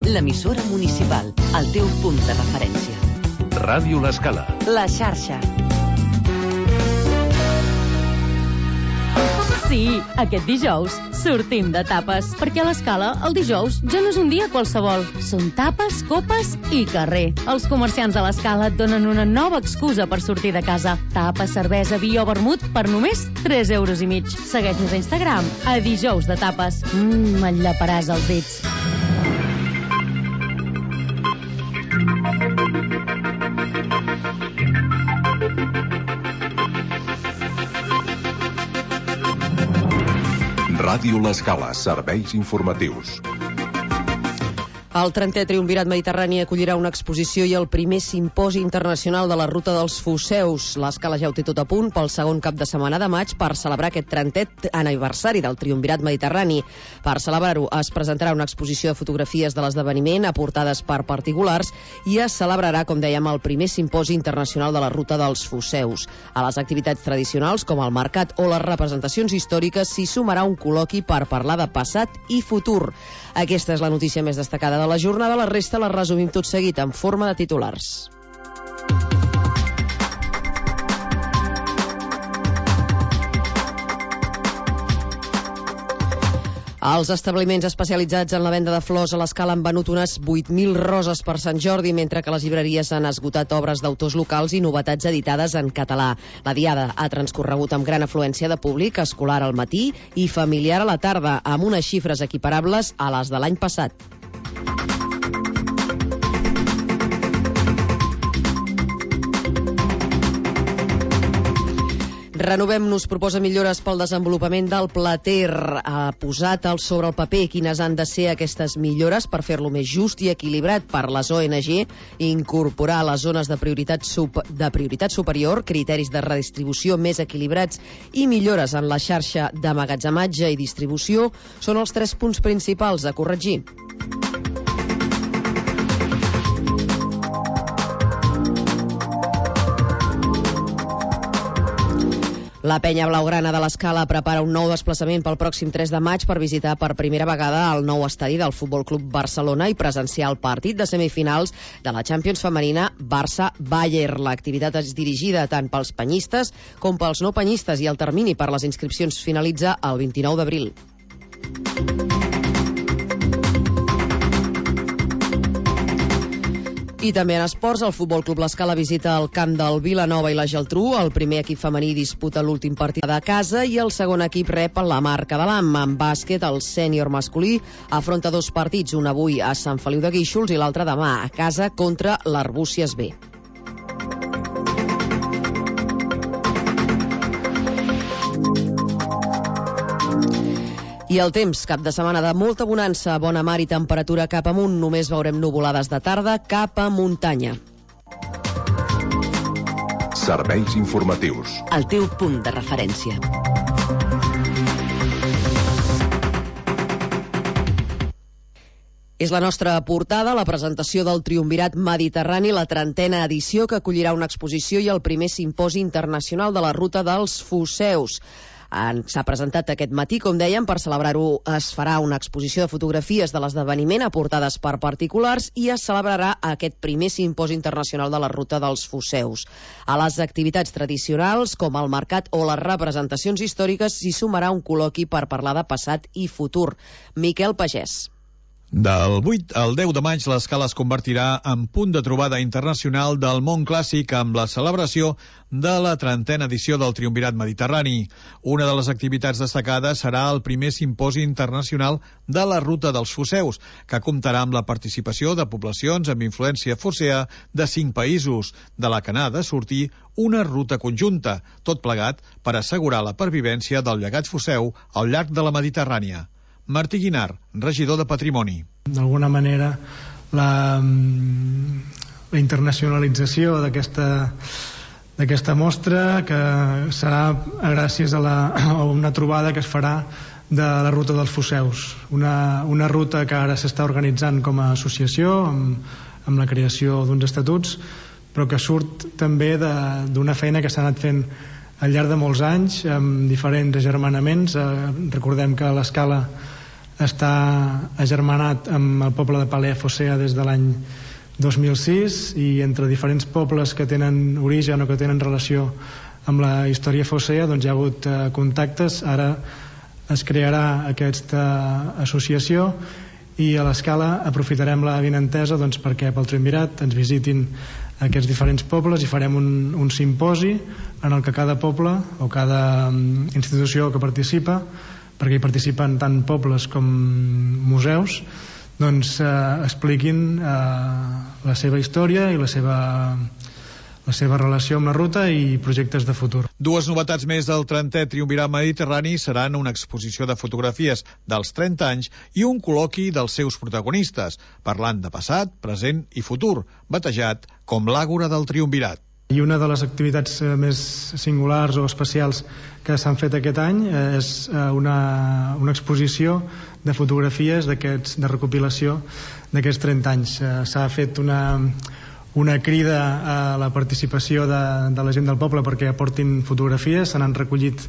l'emissora municipal, el teu punt de referència. Ràdio L'Escala. La xarxa. Sí, aquest dijous sortim de tapes, perquè a l'Escala el dijous ja no és un dia qualsevol. Són tapes, copes i carrer. Els comerciants de l'Escala et donen una nova excusa per sortir de casa. Tapes, cervesa, vi o vermut per només 3,5 euros. Segueix-nos a Instagram, a dijous de tapes. Enllaparàs els dits. Ràdio L'Escala, serveis informatius. El 30è Triumvirat Mediterrani acollirà una exposició i el primer simposi internacional de la Ruta dels Foceus. L'Escala ja ho té tot a punt pel segon cap de setmana de maig per celebrar aquest 30è aniversari del Triumvirat Mediterrani. Per celebrar-ho es presentarà una exposició de fotografies de l'esdeveniment aportades per particulars i es celebrarà, com dèiem, el primer simposi internacional de la Ruta dels Foceus. A les activitats tradicionals, com el mercat o les representacions històriques, s'hi sumarà un col·loqui per parlar de passat i futur. Aquesta és la notícia més destacada de la jornada, la resta la resumim tot seguit en forma de titulars. Els establiments especialitzats en la venda de flors a l'Escala han venut unes 8.000 roses per Sant Jordi, mentre que les llibreries han esgotat obres d'autors locals i novetats editades en català. La diada ha transcorregut amb gran afluència de públic, escolar al matí i familiar a la tarda, amb unes xifres equiparables a les de l'any passat. Renovem-nos proposa millores pel desenvolupament del Plater. Ha posat sobre el paper quines han de ser aquestes millores per fer-lo més just i equilibrat per les ONG, incorporar a les zones de prioritat superior criteris de redistribució més equilibrats i millores en la xarxa d'emmagatzematge i distribució són els 3 punts principals a corregir. La penya blaugrana de l'Escala prepara un nou desplaçament pel pròxim 3 de maig per visitar per primera vegada el nou estadi del Futbol Club Barcelona i presenciar el partit de semifinals de la Champions femenina Barça-Bayern. L'activitat és dirigida tant pels penyistes com pels no penyistes i el termini per les inscripcions finalitza el 29 d'abril. I també en esports, el Futbol Club L'Escala visita el camp del Vilanova i la Geltrú. El primer equip femení disputa l'últim partit de casa i el segon equip rep la Marca de l'Am. En bàsquet, el sènior masculí afronta 2 partits, un avui a Sant Feliu de Guíxols i l'altre demà a casa contra l'Arbúcies B. I el temps, cap de setmana de molta bonança, bona mar i temperatura cap amunt. Només veurem nuvolades de tarda cap a muntanya. Serveis informatius. El teu punt de referència. És la nostra portada, la presentació del Triumvirat Mediterrani, la 30a edició que acollirà una exposició i el primer simposi internacional de la Ruta dels Foceus. S'ha presentat aquest matí, com dèiem, per celebrar-ho es farà una exposició de fotografies de l'esdeveniment aportades per particulars i es celebrarà aquest primer simposi internacional de la Ruta dels Foceus. A les activitats tradicionals, com el mercat o les representacions històriques, s'hi sumarà un col·loqui per parlar de passat i futur. Miquel Pagès. Del 8 al 10 de maig, l'Escala es convertirà en punt de trobada internacional del món clàssic amb la celebració de la 30a edició del Triumvirat Mediterrani. Una de les activitats destacades serà el primer simposi internacional de la Ruta dels Foceus, que comptarà amb la participació de poblacions amb influència focea de 5 països, de la que n'ha de sortir una ruta conjunta, tot plegat per assegurar la pervivència del llegat foceu al llarg de la Mediterrània. Martí Guinart, regidor de Patrimoni. D'alguna manera, la internacionalització d'aquesta mostra, que serà gràcies a una trobada que es farà de la Ruta dels Foceus. Una ruta que ara s'està organitzant com a associació, amb la creació d'uns estatuts, però que surt també d'una feina que s'ha anat fent al llarg de molts anys, amb diferents agermanaments. Recordem que l'Escala està agermanat amb el poble de Palea-Focea des de l'any 2006, i entre diferents pobles que tenen origen o que tenen relació amb la història focea, doncs hi ha hagut contactes. Ara es crearà aquesta associació i a l'Escala aprofitarem la vinentesa doncs, perquè pel Triumvirat ens visitin aquests diferents pobles i farem un simposi en el que cada poble o cada institució que participa, perquè hi participen tant pobles com museus, doncs expliquin la seva història i la seva relació amb la ruta i projectes de futur. Dues novetats més del 30è Triumvirat Mediterrani seran una exposició de fotografies dels 30 anys i un col·loqui dels seus protagonistes, parlant de passat, present i futur, batejat com l'Àgora del Triumvirat. I una de les activitats més singulars o especials que s'han fet aquest any és una exposició de fotografies de recopilació d'aquests 30 anys. S'ha fet una crida a la participació de la gent del poble perquè aportin fotografies, se n'han recollit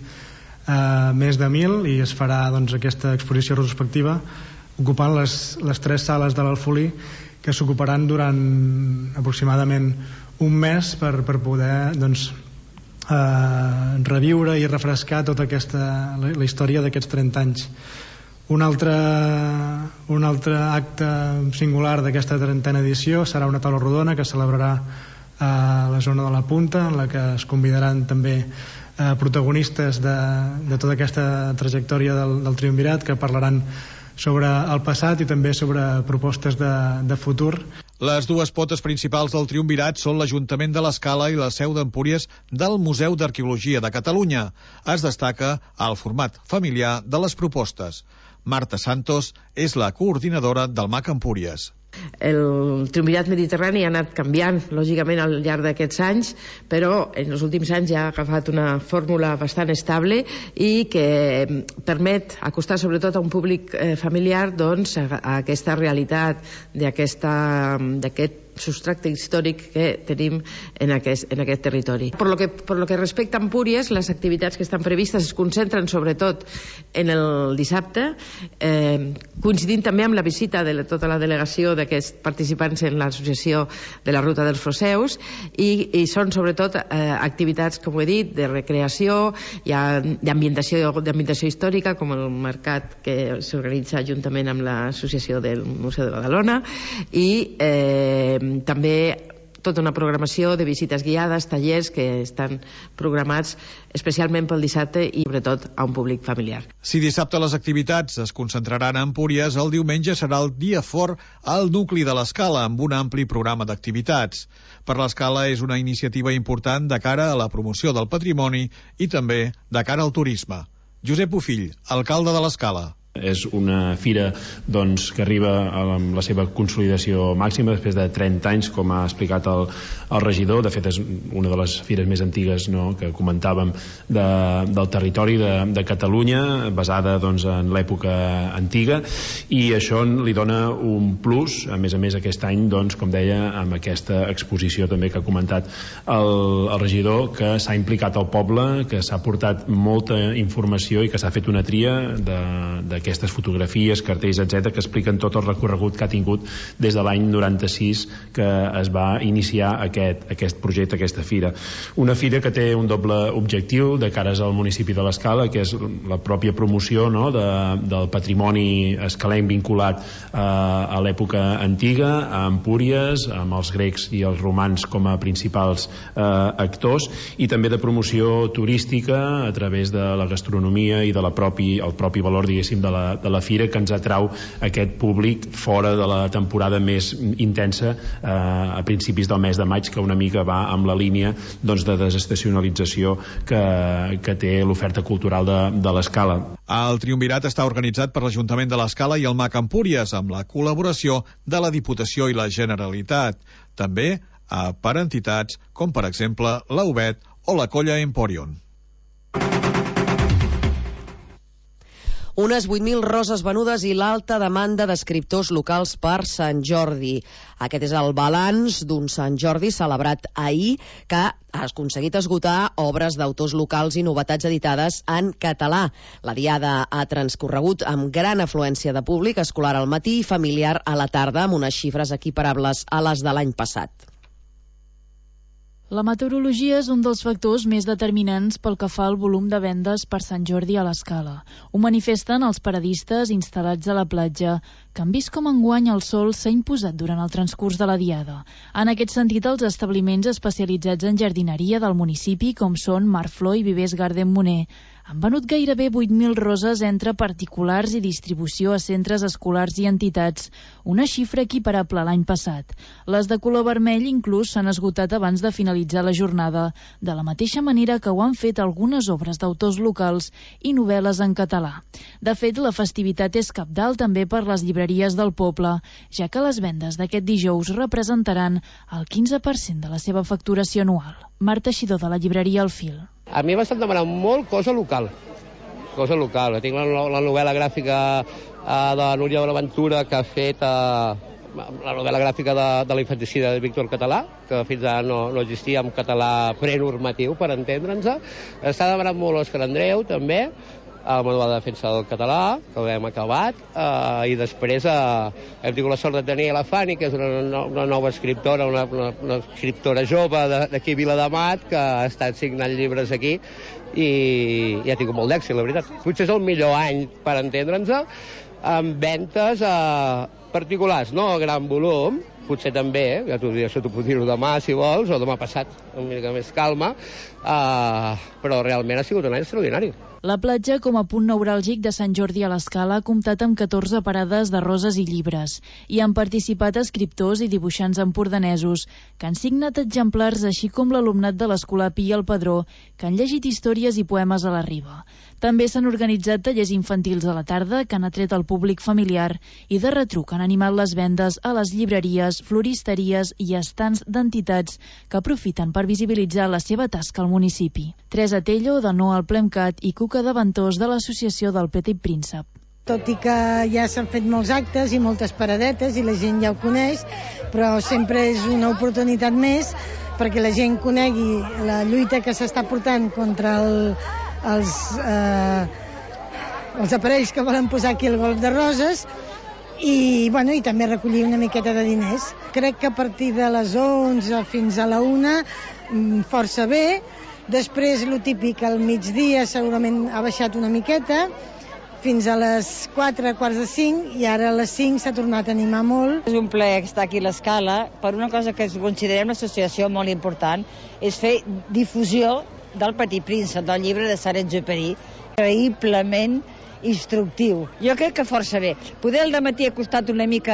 més de 1.000 i es farà doncs, aquesta exposició retrospectiva ocupant les 3 sales de l'Alfolí, que s'ocuparan durant aproximadament un mes per poder doncs, reviure i refrescar tota la història d'aquests 30 anys. Un altre acte singular d'aquesta 30a edició serà una taula rodona que celebrarà a la zona de la Punta, en la que es convidaran també protagonistes de tota aquesta trajectòria del Triumvirat, que parlaran sobre el passat i també sobre propostes de futur. Les dues potes principals del Triumvirat són l'Ajuntament de l'Escala i la seu d'Empúries del Museu d'Arqueologia de Catalunya. Es destaca el format familiar de les propostes. Marta Santos és la coordinadora del MAC Empúries. El Triumvirat Mediterrani ha anat canviant lògicament al llarg d'aquests anys, però en els últims anys ja ha agafat una fórmula bastant estable i que permet acostar sobretot a un públic familiar doncs, a aquesta realitat d'aquest substracte històric que tenim en aquest territori. Per lo que respecta a Empúries, les activitats que estan previstes es concentren sobretot en el dissabte, coincidint també amb la visita de tota la delegació d'aquests participants en l'associació de la Ruta dels Foceus, i són sobretot activitats, com ho he dit, de recreació, d'ambientació històrica, com el mercat que s'organitza juntament amb l'associació del Museu de Badalona, i també tota una programació de visites guiades, tallers que estan programats especialment pel dissabte i sobretot a un públic familiar. Si dissabte les activitats es concentraran a Empúries, el diumenge serà el dia fort al nucli de l'Escala, amb un ampli programa d'activitats. Per l'Escala és una iniciativa important de cara a la promoció del patrimoni i també de cara al turisme. Josep Bofill, alcalde de l'Escala. És una fira doncs, que arriba a la seva consolidació màxima després de 30 anys, com ha explicat el regidor. De fet, és una de les fires més antigues, no?, que comentàvem del territori de Catalunya, basada doncs, en l'època antiga, i això li dona un plus, a més aquest any, doncs, com deia, amb aquesta exposició també que ha comentat el regidor, que s'ha implicat al poble, que s'ha portat molta informació i que s'ha fet una tria d'aquestes fotografies, cartells, etc., que expliquen tot el recorregut que ha tingut des de l'any 96 que es va iniciar aquest projecte, aquesta fira. Una fira que té un doble objectiu de cares al municipi de l'Escala, que és la pròpia promoció, no?, del patrimoni escalenc vinculat a l'època antiga, a Empúries, amb els grecs i els romans com a principals actors, i també de promoció turística a través de la gastronomia i del propi valor, diguéssim, de la fira, que ens atrau aquest públic fora de la temporada més intensa a principis del mes de maig, que una mica va amb la línia doncs, de desestacionalització que té l'oferta cultural de l'Escala. El Triumvirat està organitzat per l'Ajuntament de l'Escala i el MAC Empúries, amb la col·laboració de la Diputació i la Generalitat. També per entitats com, per exemple, la UBET o la Colla Emporion. Unes 8.000 roses venudes i l'alta demanda d'escriptors locals per Sant Jordi. Aquest és el balanç d'un Sant Jordi celebrat ahir que ha aconseguit esgotar obres d'autors locals i novetats editades en català. La diada ha transcorregut amb gran afluència de públic escolar al matí i familiar a la tarda, amb unes xifres equiparables a les de l'any passat. La meteorologia és un dels factors més determinants pel que fa al volum de vendes per Sant Jordi a l'Escala. Ho manifesten els paradistes instal·lats a la platja, que han vist com enguany el sol s'ha imposat durant el transcurs de la diada. En aquest sentit, els establiments especialitzats en jardineria del municipi, com són Marflor i Vivers Garden Moner, han venut gairebé 8.000 roses entre particulars i distribució a centres escolars i entitats, una xifra equiparable a l'any passat. Les de color vermell inclús s'han esgotat abans de finalitzar la jornada, de la mateixa manera que ho han fet algunes obres d'autors locals i novel·les en català. De fet, la festivitat és cabdal també per les llibreries del poble, ja que les vendes d'aquest dijous representaran el 15% de la seva facturació anual. Marta Xidó, de la llibreria El Fil. A mi m'estan demanant molt cosa local. Tinc la novel·la gràfica de Núria Bonaventura, que ha fet la novel·la gràfica de la infanticida de Víctor Català, que fins ara no existia en català prenormatiu, per entendre'ns. Està demanant molt Òscar Andreu, també, el manual de defensa del català, que l'hem acabat, i després hem tingut la sort de tenir la Fanny, que és una nova escriptora, una escriptora jove d'aquí a Viladamat, que ha estat signant llibres aquí, i ha tingut molt d'èxit, la veritat. Potser és el millor any, per entendre'ns, amb ventes particulars, no a gran volum, potser també, ja t'ho puc dir-ho demà si vols, o demà passat, una mica més calma, però realment ha sigut un any extraordinari. La platja, com a punt neuràlgic de Sant Jordi a l'Escala, ha comptat amb 14 parades de roses i llibres. Hi han participat escriptors i dibuixants empordanesos, que han signat exemplars, així com l'alumnat de l'Escolar Pi i el Padró, que han llegit històries i poemes a la riba. També s'han organitzat tallers infantils a la tarda, que han atret el públic familiar, i de retruc han animat les vendes a les llibreries, floristeries i estants d'entitats que aprofiten per visibilitzar la seva tasca al municipi. Teresa Tello, de No al Plemcat, i Cuca de Ventós, de l'Associació del Petit Príncep. Tot i que ja s'han fet molts actes i moltes paradetes i la gent ja ho coneix, però sempre és una oportunitat més perquè la gent conegui la lluita que s'està portant contra els aparells que volen posar aquí al golf de Roses i també recollir una miqueta de diners. Crec que a partir de les 11 fins a la 1 força bé. Després, lo típic, al migdia segurament ha baixat una miqueta, fins a les 4, quarts de 5, i ara a les 5 s'ha tornat a animar molt. És un plaer estar aquí a l'Escala per una cosa que considerem l'associació molt important, és fer difusió del Petit Príncep, del llibre de Saint-Exupéry, increïblement instructiu. Jo crec que força bé. Poder al dematí ha costat una mica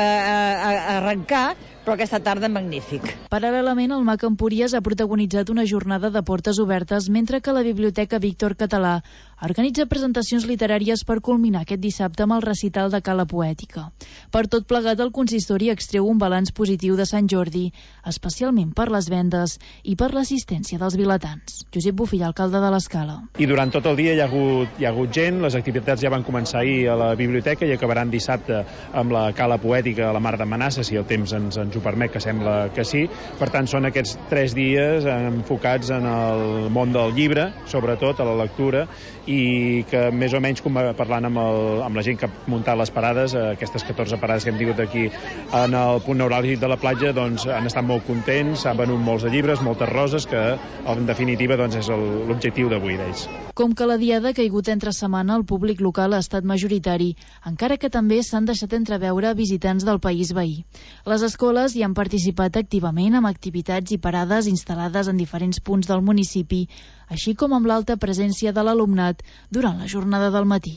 arrencar, però aquesta tarda magnífic. Paral·lelament, el MAC Empúries ha protagonitzat una jornada de portes obertes, mentre que la Biblioteca Víctor Català organitza presentacions literàries per culminar aquest dissabte amb el recital de Cala Poètica. Per tot plegat, el consistori extreu un balanç positiu de Sant Jordi, especialment per les vendes i per l'assistència dels vilatans. Josep Bofill, alcalde de l'Escala. I durant tot el dia hi ha hagut gent, les activitats ja van començar ahir a la biblioteca i acabaran dissabte amb la Cala Poètica a la Mar de Manassa, si el temps ens ho permet, que sembla que sí. Per tant, són aquests 3 dies enfocats en el món del llibre, sobretot a la lectura, i que més o menys parlant amb la gent que ha muntat les parades, aquestes 14 parades que hem tingut aquí en el punt neuràlgic de la platja, doncs han estat molt contents, han venut molts de llibres, moltes roses, que en definitiva doncs, és l'objectiu d'avui d'ells. Com que la diada ha caigut entre setmana, el públic local ha estat majoritari, encara que també s'han deixat entreveure visitants del país veí. Les escoles hi han participat activament amb activitats i parades instal·lades en diferents punts del municipi, així com amb l'alta presència de l'alumnat durant la jornada del matí.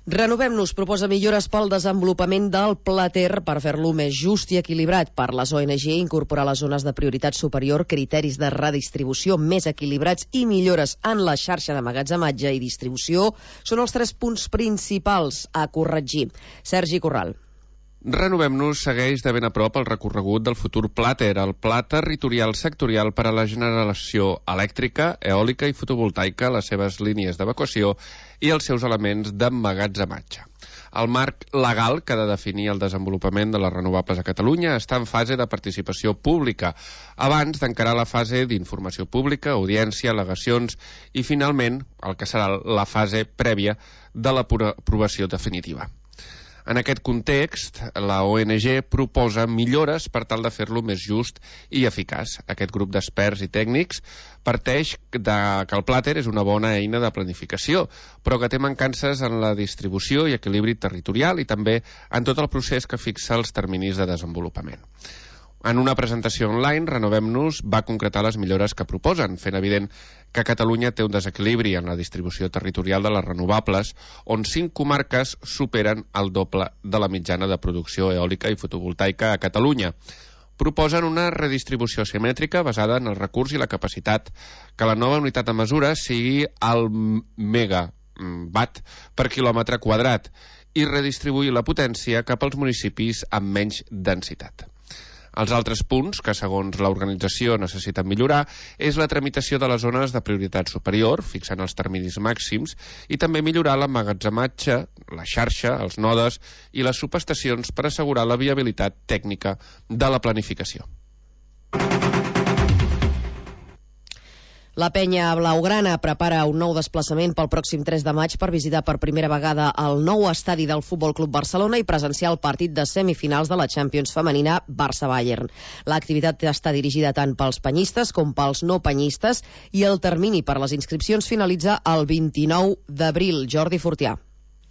Renovem-nos proposa millores pel desenvolupament del Pla Ter per fer-lo més just i equilibrat. Per les ONG, incorporar a les zones de prioritat superior criteris de redistribució més equilibrats i millores en la xarxa d'emmagatzematge i distribució són els 3 punts principals a corregir. Sergi Corral. Renovem-nos segueix de ben a prop el recorregut del futur Plater, el pla territorial sectorial per a la generació elèctrica, eòlica i fotovoltaica, les seves línies d'evacuació i els seus elements d'emmagatzematge. El marc legal que ha de definir el desenvolupament de les renovables a Catalunya està en fase de participació pública, abans d'encarar la fase d'informació pública, audiència, al·legacions i, finalment, el que serà la fase prèvia de l'aprovació definitiva. En aquest context, la ONG proposa millores per tal de fer-lo més just i eficaç. Aquest grup d'experts i tècnics parteix que el Plater és una bona eina de planificació, però que té mancances en la distribució i equilibri territorial i també en tot el procés que fixa els terminis de desenvolupament. En una presentació online, Renovem-nos va concretar les millores que proposen, fent evident que Catalunya té un desequilibri en la distribució territorial de les renovables, on 5 comarques superen el doble de la mitjana de producció eòlica i fotovoltaica a Catalunya. Proposen una redistribució simètrica basada en el recurs i la capacitat, que la nova unitat de mesura sigui el megawatt per quilòmetre quadrat i redistribuir la potència cap als municipis amb menys densitat. Els altres punts que, segons l'organització, necessiten millorar és la tramitació de les zones de prioritat superior, fixant els terminis màxims, i també millorar l'emmagatzematge, la xarxa, els nodes i les subestacions per assegurar la viabilitat tècnica de la planificació. La penya blaugrana prepara un nou desplaçament pel pròxim 3 de maig per visitar per primera vegada el nou estadi del Futbol Club Barcelona i presenciar el partit de semifinals de la Champions femenina Barça-Bayern. L'activitat està dirigida tant pels penyistes com pels no penyistes i el termini per les inscripcions finalitza el 29 d'abril. Jordi Fortià.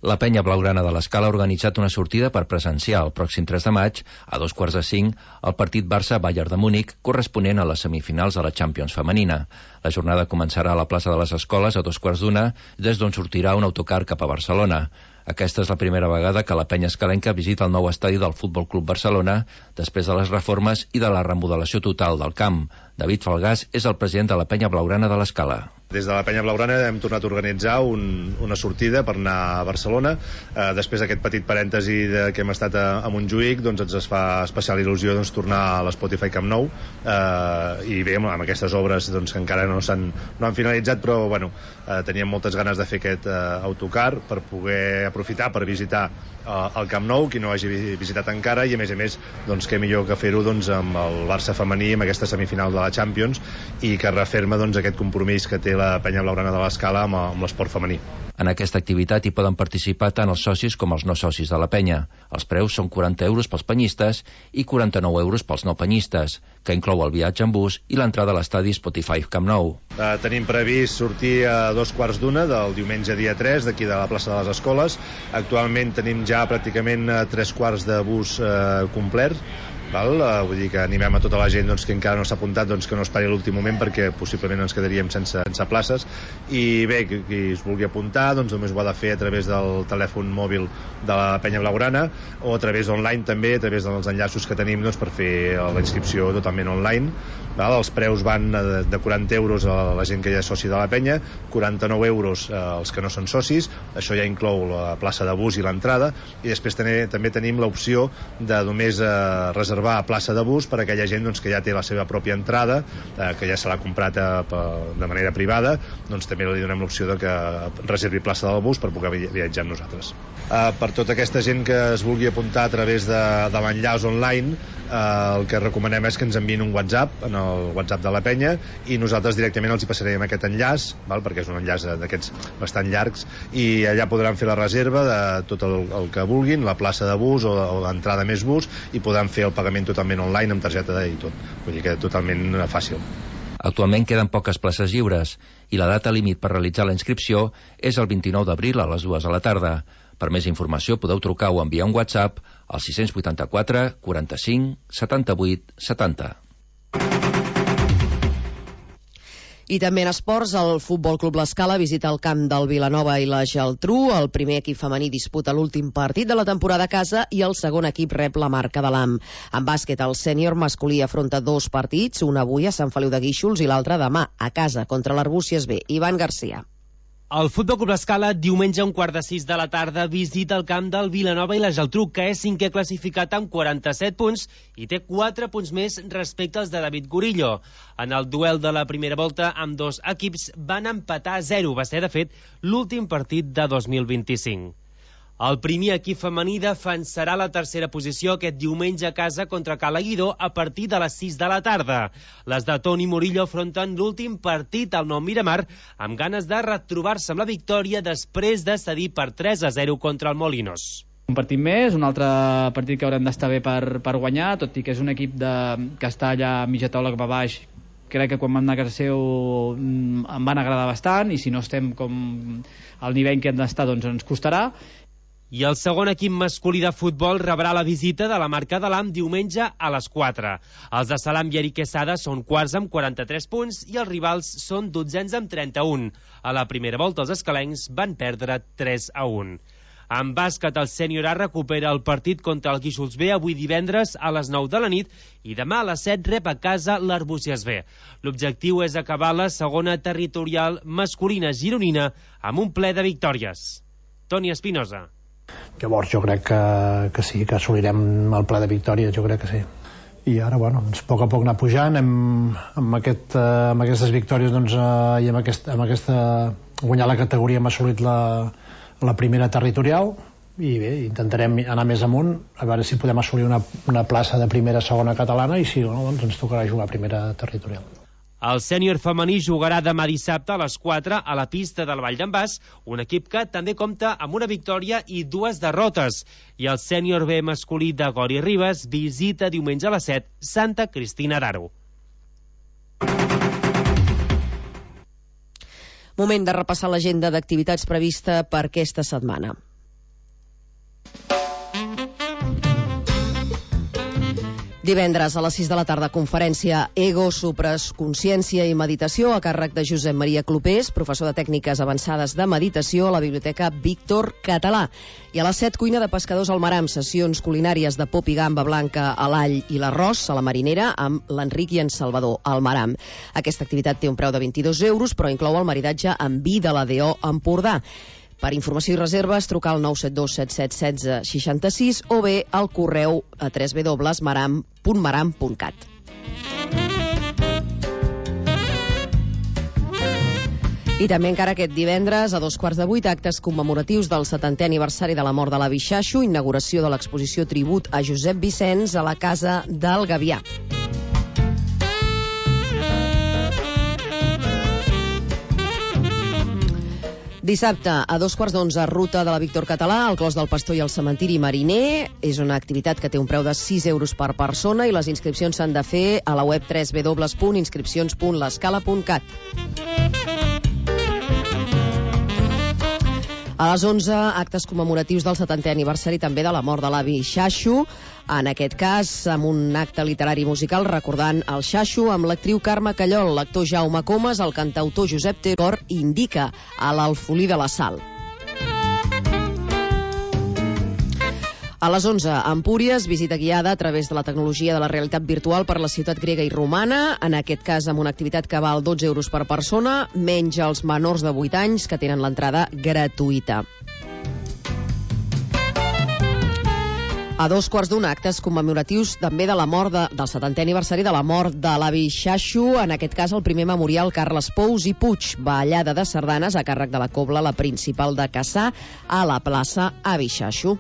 La penya blaugrana de l'Escala ha organitzat una sortida per presenciar el pròxim 3 de maig, a 2:45, el partit Barça-Bayern de Múnich, corresponent a les semifinals de la Champions femenina. La jornada començarà a la plaça de les Escoles a 2:15, des d'on sortirà un autocar cap a Barcelona. Aquesta és la primera vegada que la penya escalenca visita el nou estadi del Futbol Club Barcelona després de les reformes i de la remodelació total del camp. David Falgàs és el president de la penya blaugrana de l'Escala. Des de la penya blaugrana hem tornat a organitzar una sortida per anar a Barcelona. Després d'aquest petit parèntesi que hem estat a Montjuïc, doncs ens fa especial il·lusió tornar a l'Spotify Camp Nou, i bé, amb aquestes obres que encara no han finalitzat, però bueno, teníem moltes ganes de fer aquest autocar per poder aprofitar per visitar el Camp Nou, qui no hagi visitat encara, i a més què millor que fer-ho amb el Barça femení, amb aquesta semifinal de la Champions, i que referma aquest compromís que té la penya blaugrana de l'Escala amb l'esport femení. En aquesta activitat hi poden participar tant els socis com els no socis de la penya. Els preus són 40 euros pels penyistes i 49 euros pels no penyistes, que inclou el viatge en bus i l'entrada a l'estadi Spotify Camp Nou. Tenim previst sortir a 2:15 del diumenge dia 3 d'aquí de la plaça de les Escoles. Actualment tenim ja pràcticament 3/4 de bus complet. Vull dir que animem a tota la gent que encara no s'ha apuntat que no esperi l'últim moment, perquè possiblement ens quedaríem sense places. I bé, qui es vulgui apuntar només ho ha de fer a través del telèfon mòbil de la penya blaugrana o a través online també, a través dels enllaços que tenim per fer la inscripció totalment online. Els preus van de 40 euros a la gent que ja és soci de la penya, 49 euros als que no són socis, això ja inclou la plaça de bus i l'entrada, i després també tenim l'opció de només reservar a plaça de bus per a aquella gent que ja té la seva pròpia entrada, que ja se l'ha comprat de manera privada, també li donem l'opció de que reservi plaça del bus per poder viatjar amb nosaltres. Per tota aquesta gent que es vulgui apuntar a través de l'enllaç online, el que recomanem és que ens enviïn un WhatsApp, en el WhatsApp de la penya, i nosaltres directament els hi passarem aquest enllaç, perquè és un enllaç d'aquests bastant llargs, i allà podran fer la reserva de tot el que vulguin, la plaça de bus o l'entrada més bus, i podran fer el pagament totalment online amb targeta i tot. Vull dir que totalment fàcil. Actualment queden poques places lliures i la data límit per realitzar la inscripció és el 29 d'abril a les 2 de la tarda. Per més informació podeu trucar o enviar un WhatsApp al 684 45 78 70. I també en esports, el Futbol Club l'Escala visita el camp del Vilanova i la Geltrú. El primer equip femení disputa l'últim partit de la temporada a casa i el segon equip rep la Marca de l'Am. En bàsquet, el sènior masculí afronta 2 partits, un avui a Sant Feliu de Guíxols i l'altre demà a casa contra l'Arbúcies B. Ivan Garcia. El Futbol Club L'Escala, diumenge a 5:15 de la tarda, visita el camp del Vilanova i la Geltrú, que és 5è classificat amb 47 punts i té 4 punts més respecte als de David Gorillo. En el duel de la primera volta, amb dos equips van empatar a 0. Va ser, de fet, l'últim partit de 2025. El primer equip femení defensarà la tercera posició aquest diumenge a casa contra Cala Guidó a partir de les 6 de la tarda. Les de Toni Murillo afronten l'últim partit al Nou Miramar amb ganes de retrobar-se amb la victòria després de cedir per 3-0 contra el Molinos. Un partit més, un altre partit que haurem d'estar bé per guanyar, tot i que és un equip que està allà a mitja taula cap a baix. Crec que quan vam anar a casa seu em van agradar bastant, i si no estem com al nivell que hem d'estar, doncs ens costarà. I el segon equip masculí de futbol rebrà la visita de la Marca de l'Am diumenge a les 4. Els de Salam i Eric Quesada són quarts amb 43 punts i els rivals són dotzens amb 31. A la primera volta els escalencs van perdre 3-1. En bàsquet, el sènior A recupera el partit contra el Guíxols B avui divendres a les 9 de la nit i demà a les 7 rep a casa l'Arbúcies B. L'objectiu és acabar la segona territorial masculina gironina amb un ple de victòries. Toni Espinosa. Llavors jo crec que sí, que assolirem el ple de victòria, jo crec que sí. I ara, bueno, a poc a poc anar pujant, amb aquestes victòries i amb aquesta guanyar la categoria hem assolit la primera territorial, i bé, intentarem anar més amunt, a veure si podem assolir una plaça de primera, segona catalana, i si no, doncs ens tocarà jugar a primera territorial. El sènior femení jugarà demà dissabte a les 4 a la pista del Vall d'en Bas, un equip que també compta amb una victòria i 2 derrotes. I el sènior B masculí de Gori Ribes visita diumenge a les 7 Santa Cristina d'Aro. Moment de repassar l'agenda d'activitats prevista per aquesta setmana. Divendres a les 6 de la tarda, conferència Ego, Supres, Consciència i Meditació a càrrec de Josep Maria Clopés, professor de tècniques avançades de meditació a la Biblioteca Víctor Català. I a les 7, cuina de pescadors al Maram, sessions culinàries de pop i gamba blanca a l'all i l'arròs a la marinera amb l'Enric i en Salvador al Maram. Aquesta activitat té un preu de 22 euros, però inclou el maridatge amb vi de la DO Empordà. Per informació i reserves, trucar al 972 77 16 66 o bé al correu a www.maram.cat. I també encara aquest divendres, a 7:15, actes commemoratius del 70è aniversari de la mort de l'avi Xaxo, inauguració de l'exposició Tribut a Josep Vicenç a la Casa del Gavià. Dissabte, a 2:15, ruta de la Víctor Català, al Clos del Pastor i el Cementiri Mariner. És una activitat que té un preu de 6 euros per persona i les inscripcions s'han de fer a la web www.inscripcions.lescala.cat. A les 11, actes commemoratius del 70è aniversari també de la mort de l'avi Xaxo, en aquest cas amb un acte literari musical recordant el Xaxo amb l'actriu Carme Callol, l'actor Jaume Comas, el cantautor Josep Tecor Indica a l'Alfolí de la Sal. A les 11, a Empúries, visita guiada a través de la tecnologia de la realitat virtual per la ciutat grega i romana, en aquest cas amb una activitat que val 12 euros per persona, menys els menors de 8 anys que tenen l'entrada gratuïta. A 2:15, actes commemoratius també de la mort del 70è aniversari de la mort de l'avi Xaxo, en aquest cas el primer memorial Carles Pous i Puig, ballada de sardanes a càrrec de la cobla, la principal de Cassà, a la plaça Avi Xaxo.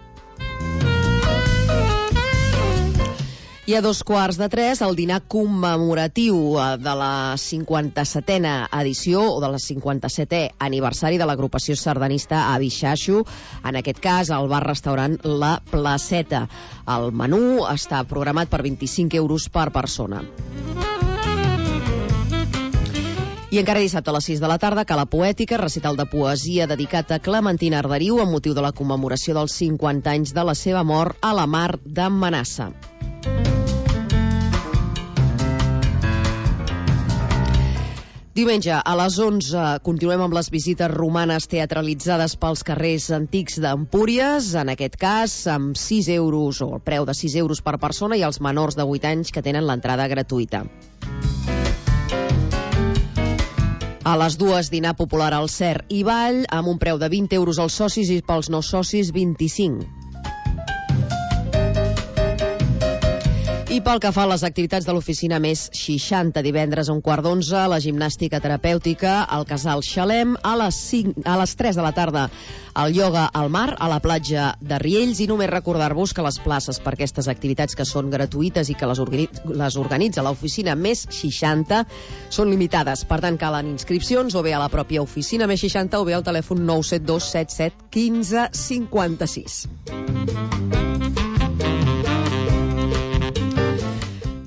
I a 2:15, el dinar commemoratiu de la 57a edició o de la 57è aniversari de l'agrupació sardanista Avi Xaxo, en aquest cas al bar-restaurant La Placeta. El menú està programat per 25 euros per persona. I encara dissabte a les 6 de la tarda, Cala Poètica, recital de poesia dedicat a Clementina Arderiu amb motiu de la commemoració dels 50 anys de la seva mort a la Mar de Manassa. Diumenge, a les 11, continuem amb les visites romanes teatralitzades pels carrers antics d'Empúries, en aquest cas amb 6 euros, o el preu de 6 euros per persona, i els menors de 8 anys que tenen l'entrada gratuïta. A les 2, dinar popular al Cer i Ball, amb un preu de 20 euros als socis i pels no socis 25. I pel que fa a les activitats de l'oficina més 60, divendres a 11:15, la gimnàstica terapèutica al Casal Xalem, a les 3 de la tarda el ioga al mar, a la platja de Riells, i només recordar-vos que les places per aquestes activitats que són gratuïtes i que les organitza l'oficina més 60 són limitades. Per tant, calen inscripcions o bé a la pròpia oficina més 60 o bé al telèfon 972 77 15 56.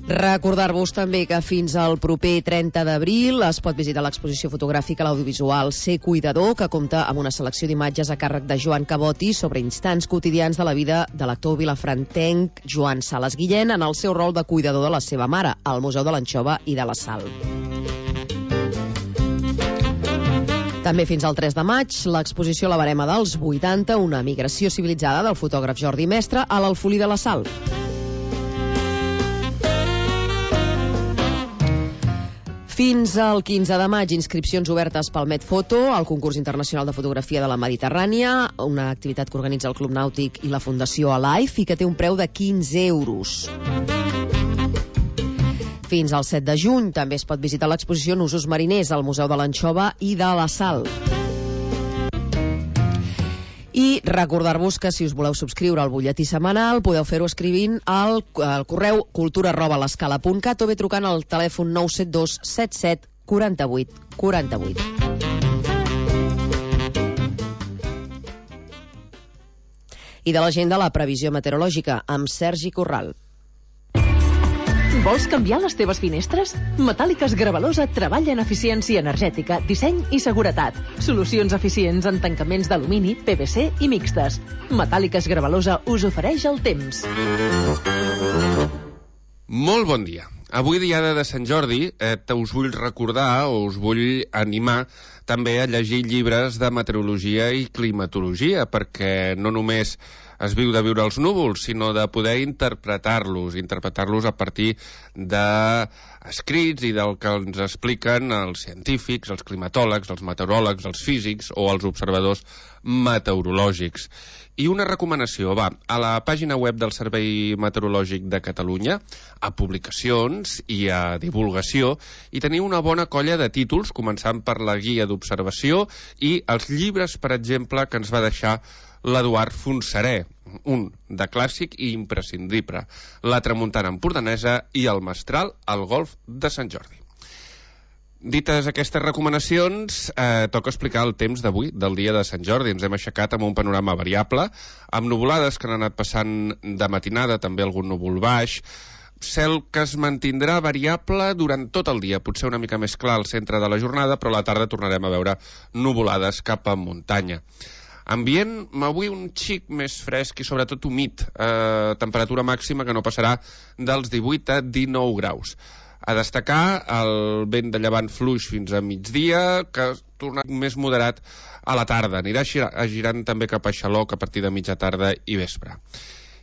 Recordar-vos també que fins al proper 30 d'abril es pot visitar l'exposició fotogràfica a l'audiovisual Ser Cuidador, que compta amb una selecció d'imatges a càrrec de Joan Caboti sobre instants quotidians de la vida de l'actor vilafrantenc Joan Sales Guillén en el seu rol de cuidador de la seva mare, al Museu de l'Anxova i de la Sal. També fins al 3 de maig, l'exposició La Barema dels 80, una migració civilitzada del fotògraf Jordi Mestre a l'Alfolí de la Sal. Fins al 15 de maig, inscripcions obertes pel Medfoto, el concurs internacional de fotografia de la Mediterrània, una activitat que organitza el Club Nàutic i la Fundació Alive i que té un preu de 15 euros. Fins al 7 de juny també es pot visitar l'exposició Nusos Mariners al Museu de l'Anxova i de la Sal. I recordar-vos que si us voleu subscriure al butlletí setmanal podeu fer-ho escrivint al correu cultura@lescala.cat o bé trucant al telèfon 972 77 48 48. I de l'agenda, la previsió meteorològica amb Sergi Corral. Vols canviar les teves finestres? Metàl·liques Gravalosa treballa en eficiència energètica, disseny i seguretat. Solucions eficients en tancaments d'alumini, PVC i mixtes. Metàl·liques Gravalosa us ofereix el temps. Molt bon dia. Avui, diada de Sant Jordi, us vull recordar o us vull animar també a llegir llibres de meteorologia i climatologia, perquè no només es viu de viure els núvols, sinó de poder interpretar-los a partir d'escrits i del que ens expliquen els científics, els climatòlegs, els meteoròlegs, els físics o els observadors meteorològics. I una recomanació, a la pàgina web del Servei Meteorològic de Catalunya, a publicacions i a divulgació, hi teniu una bona colla de títols, començant per la guia d'observació i els llibres, per exemple, que ens va deixar l'Eduard Fontserè, un de clàssic i imprescindible, La tramuntana empordanesa i El mestral al golf de Sant Jordi. Dites aquestes recomanacions, toca explicar el temps d'avui, del dia de Sant Jordi. Ens hem aixecat amb un panorama variable, amb nuvolades que han anat passant de matinada, també algun núvol baix, cel que es mantindrà variable durant tot el dia, potser una mica més clar al centre de la jornada, però a la tarda tornarem a veure nuvolades cap a muntanya. Ambient avui un xic més fresc i sobretot humit, temperatura màxima que no passarà dels 18 a 19 graus. A destacar el vent de llevant fluix fins a migdia, que torna més moderat a la tarda. Anirà girant també cap a Xaloc a partir de mitja tarda i vespre.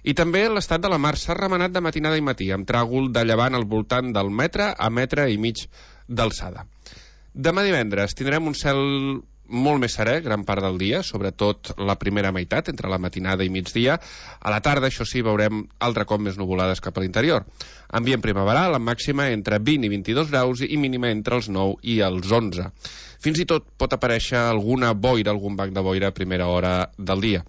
I també l'estat de la mar s'ha remenat de matinada i matí, amb tràgol de llevant al voltant del metre a metre i mig d'alçada. Demà divendres tindrem un cel molt més serè gran part del dia, sobretot la primera meitat, entre la matinada i migdia. A la tarda, això sí, veurem altre cop més nuvolades cap a l'interior. Ambient primaveral, amb màxima entre 20 i 22 graus i mínima entre els 9 i els 11. Fins i tot pot aparèixer alguna boira, algun banc de boira a primera hora del dia.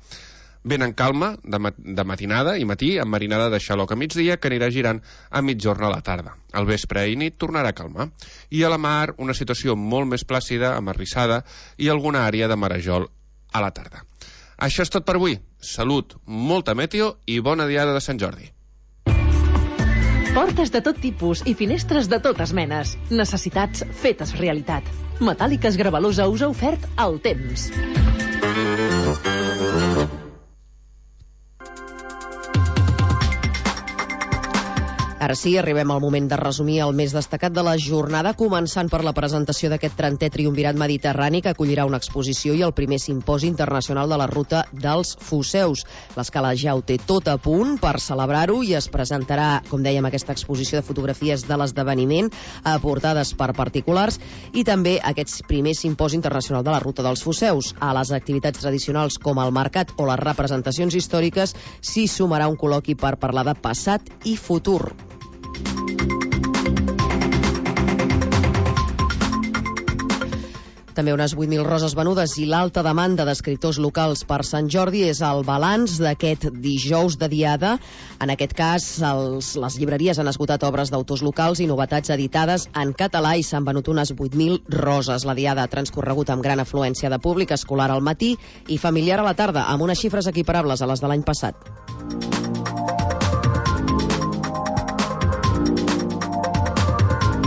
Vent en calma, de matinada i matí, amb marinada de Xaloc a migdia, que anirà girant a mitjorn a la tarda. Al vespre i nit tornarà a calmar. I a la mar, una situació molt més plàcida, amarrissada, i alguna àrea de marejol a la tarda. Això és tot per avui. Salut, molta meteo i bona diada de Sant Jordi. Portes de tot tipus i finestres de totes menes. Necessitats fetes realitat. Metàl·liques Gravalosa us ha ofert el temps. Ara sí, arribem al moment de resumir el més destacat de la jornada, començant per la presentació d'aquest 30è Triumvirat Mediterrani, que acollirà una exposició i el primer simposi internacional de la ruta dels Foceus. L'Escala ja ho té tot a punt per celebrar-ho i es presentarà, com dèiem, aquesta exposició de fotografies de l'esdeveniment aportades per particulars i també aquest primer simposi internacional de la ruta dels Foceus. A les activitats tradicionals com el mercat o les representacions històriques s'hi sumarà un col·loqui per parlar de passat i futur. També unes 8.000 roses venudes i l'alta demanda d'escriptors locals per Sant Jordi és el balanç d'aquest dijous de Diada. En aquest cas, les llibreries han esgotat obres d'autors locals i novetats editades en català i s'han venut unes 8.000 roses. La Diada ha transcorregut amb gran afluència de públic escolar al matí i familiar a la tarda, amb unes xifres equiparables a les de l'any passat.